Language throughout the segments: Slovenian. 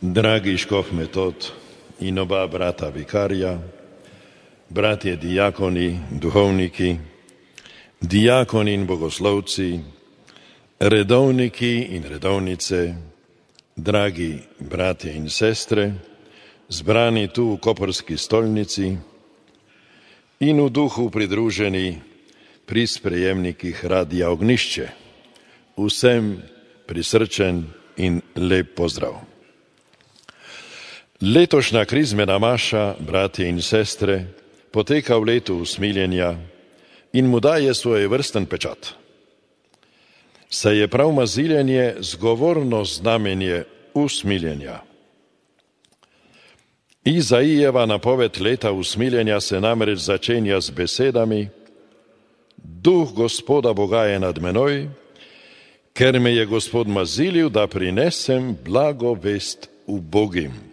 Dragi škof Metod in oba brata vikarja, bratje diakoni, duhovniki, diakoni in bogoslovci, redovniki in redovnice, dragi bratje in sestre, zbrani tu v koprski stolnici in v duhu pridruženi pri sprejemnikih Radia Ognjišče. Vsem prisrčen in lep pozdrav. Letošnja krizmena maša, bratje in sestre, poteka v letu usmiljenja in mu daje svojevrsten pečat. Saj je prav maziljenje zgovorno znamenje usmiljenja. Izaijeva napoved leta usmiljenja se namreč začenja z besedami: Duh Gospoda Boga je nad menoj, ker me je Gospod mazilil, da prinesem blago vest ubogim.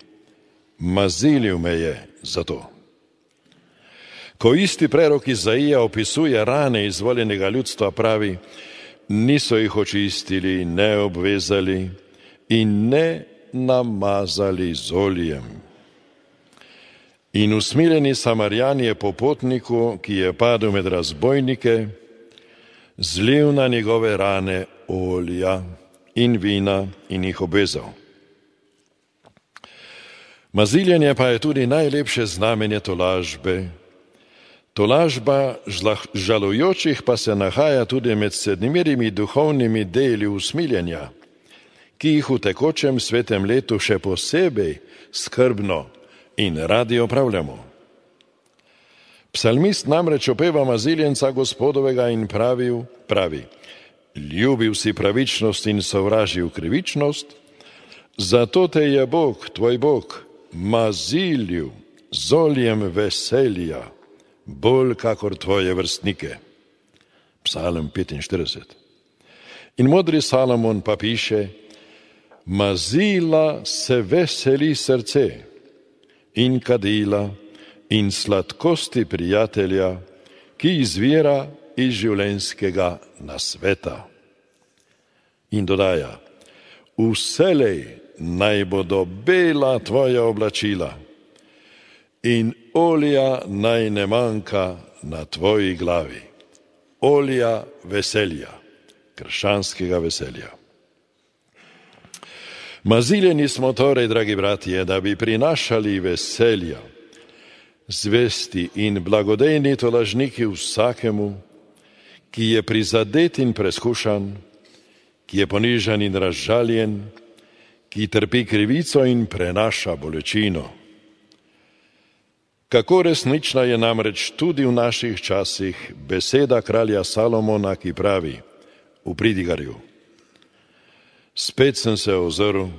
Mazilil me je zato. Ko isti prerok Izaija opisuje rane izvoljenega ljudstva, pravi: niso jih očistili, ne obvezali in ne namazali z oljem. In usmiljeni Samarjan je popotniku, ki je padel med razbojnike, zlil na njegove rane olja in vina in jih obvezal. Maziljenje pa je tudi najlepše znamenje tolažbe. Tolažba žalujočih pa se nahaja tudi med sedmirimi duhovnimi deli usmiljenja, ki jih v tekočem svetem letu še posebej skrbno in radi opravljamo. Psalmist namreč opeva maziljenca Gospodovega in pravi: ljubil si pravičnost in sovražil krivičnost, zato te je Bog, tvoj Bog, mazilil z oljem veselja, bolj kakor tvoje vrstnike. Psalm 45. In modri Salomon pa piše: mazila se veseli srce in kadila in sladkosti prijatelja, ki izvira iz življenjskega nasveta. In dodaja: vselej naj bodo bela tvoja oblačila in olja naj ne manjka na tvoji glavi. Olja veselja, krščanskega veselja. Maziljeni smo torej, dragi bratje, da bi prinašali veselja, zvesti in blagodejni tolažniki vsakemu, ki je prizadet in preskušan, ki je ponižan in razžaljen, ki trpi krivico in prenaša bolečino. Kako resnična je namreč tudi v naših časih beseda kralja Salomona, ki pravi v Pridigarju: spet sem se ozrl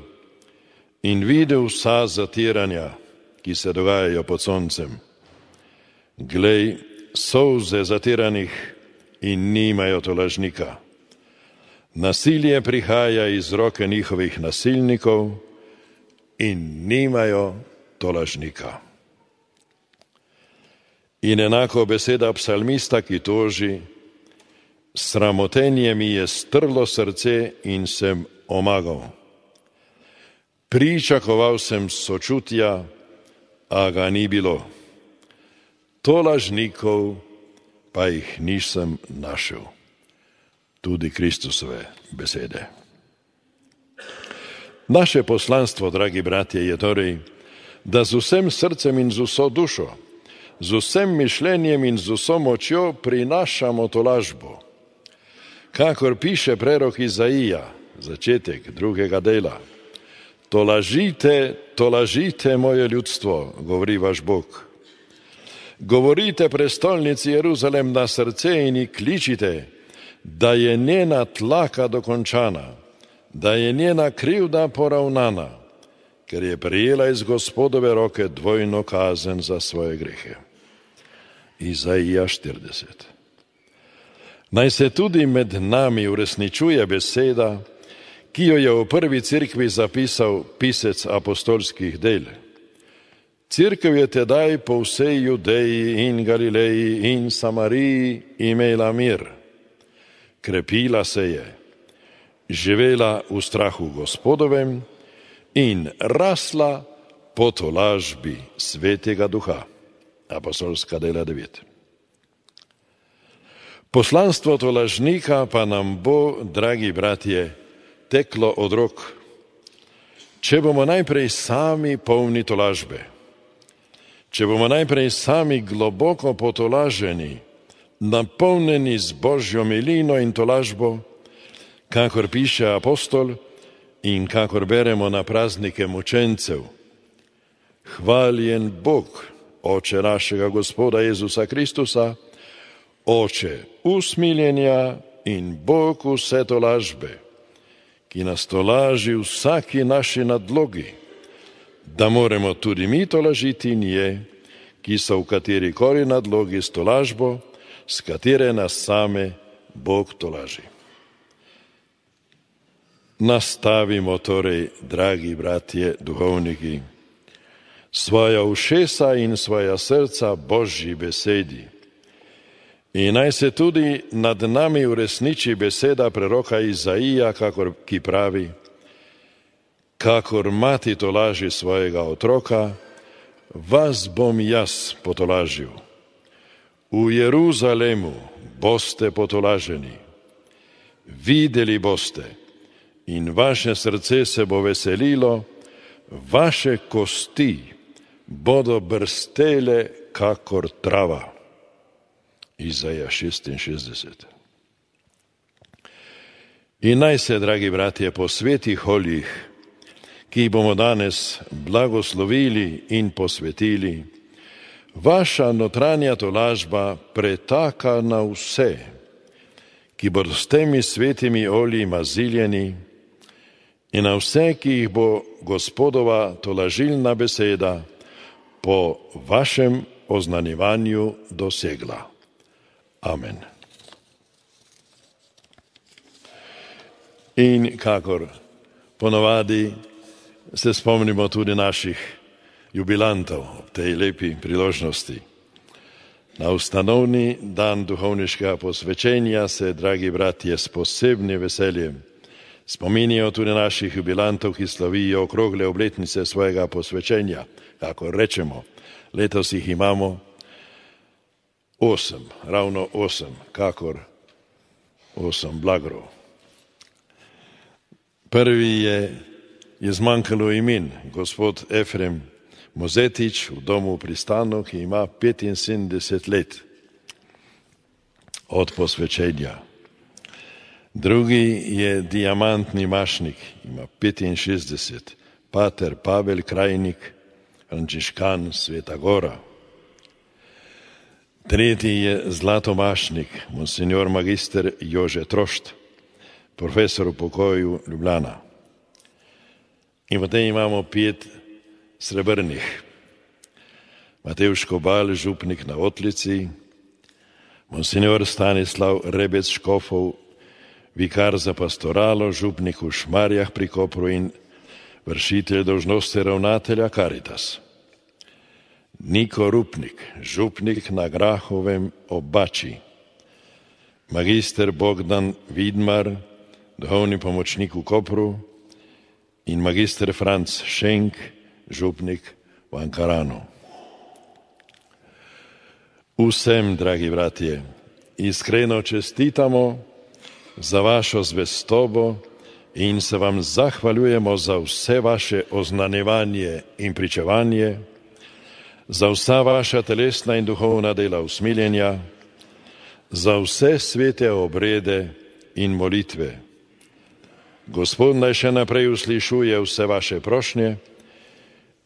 in videl vsa zatiranja, ki se dogajajo pod soncem. Glej, solze zatiranih in nimajo tolažnika. Nasilje prihaja iz roke njihovih nasilnikov in nimajo tolažnika. In enako beseda psalmista, ki toži: sramotenje mi je strlo srce in sem omagal. Pričakoval sem sočutja, a ga ni bilo. Tolažnikov pa jih nisem našel. Tudi Kristusove besede. Naše poslanstvo, dragi bratje, je torej, da z vsem srcem in z vso dušo, z vsem mišljenjem in z vso močjo prinašamo tolažbo. Kakor piše prerok Izaija, začetek 2. dela: tolažite, tolažite moje ljudstvo, govori vaš Bog. Govorite prestolnici Jeruzalem na srce in ji kličite, da je njena tlaka dokončana, da je njena krivda poravnana, ker je prejela iz Gospodove roke dvojno kazen za svoje grehe. Izaija 40. Naj se tudi med nami uresničuje beseda, ki jo je v prvi cerkvi zapisal pisec apostolskih del. Cerkev je tedaj po vsej Judeji in Galileji in Samariji imela mir. Krepila se je, živela v strahu Gospodovem in rasla po tolažbi Svetega Duha. Apostolska dela 9. Poslanstvo tolažnika pa nam bo, dragi bratje, teklo od rok, če bomo najprej sami polni tolažbe, če bomo najprej sami globoko potolaženi, napolnjeni z Božjo milino in tolažbo, kakor piše apostol in kakor beremo na praznike mučencev. Hvaljen Bog, Oče našega Gospoda Jezusa Kristusa, Oče usmiljenja in Bog vse tolažbe, ki nas tolaži vsaki naši nadlogi, da moremo tudi mi tolažiti nje, ki so v katerikoli nadlogi s tolažbo, s katere nas same Bog tolaži. Nastavimo torej, dragi bratje duhovniki, svoja ušesa in svoja srca Božji besedi. In naj se tudi nad nami uresniči beseda preroka Izaija, ki pravi: kakor mati tolaži svojega otroka, vas bom jaz potolažil. V Jeruzalemu boste potolaženi. Videli boste in vaše srce se bo veselilo, vaše kosti bodo brstele kakor trava. Izaija 66. In naj se, dragi bratje, po svetih oljih, ki jih bomo danes blagoslovili in posvetili, vaša notranja tolažba pretaka na vse, ki bodo s temi svetimi olji maziljeni, in na vse, ki jih bo Gospodova tolažilna beseda po vašem oznanjevanju dosegla. Amen. In kakor ponavadi se spomnimo tudi naših jubilantov ob tej lepi priložnosti. Na ustanovni dan duhovniškega posvečenja se, dragi bratje, s posebnim veseljem spominijo tudi naših jubilantov, ki slavijo okrogle obletnice svojega posvečenja. Kako rečemo, letos jih imamo 8, ravno 8, kakor 8 blagrov. Prvi je zmanjkalo imen, gospod Efrem Mozetič v domu v Pristanu, ki ima 75 let od posvečenja. Drugi je diamantni mašnik, ima 65, pater Pavel Krajnik, frančiškan Sveta Gora. Tretji je zlatomašnik, monsignor magister Jože Trošt, profesor v pokoju Ljubljana. In potem imamo 5 srebrnih. Matevž Kobal, župnik na Otlici, monsignor Stanislav Rebec Škofov, vikar za pastoralo, župnik v Šmarjah pri Kopru in vršitelj dolžnosti ravnatelja Caritas. Niko Rupnik, župnik na Grahovem ob Bači. Magister Bogdan Vidmar, duhovni pomočnik v Kopru, in magister Franc Šenk, župnik v Ankaranu. Vsem, dragi bratje, iskreno čestitamo za vašo zvestobo in se vam zahvaljujemo za vse vaše oznanjevanje in pričevanje, za vsa vaša telesna in duhovna dela usmiljenja, za vse svete obrede in molitve. Gospod naj še naprej uslišuje vse vaše prošnje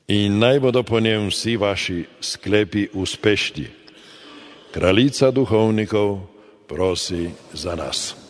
in naj bodo po njem vsi vaši sklepi uspešni. Kraljica duhovnikov prosi za nas.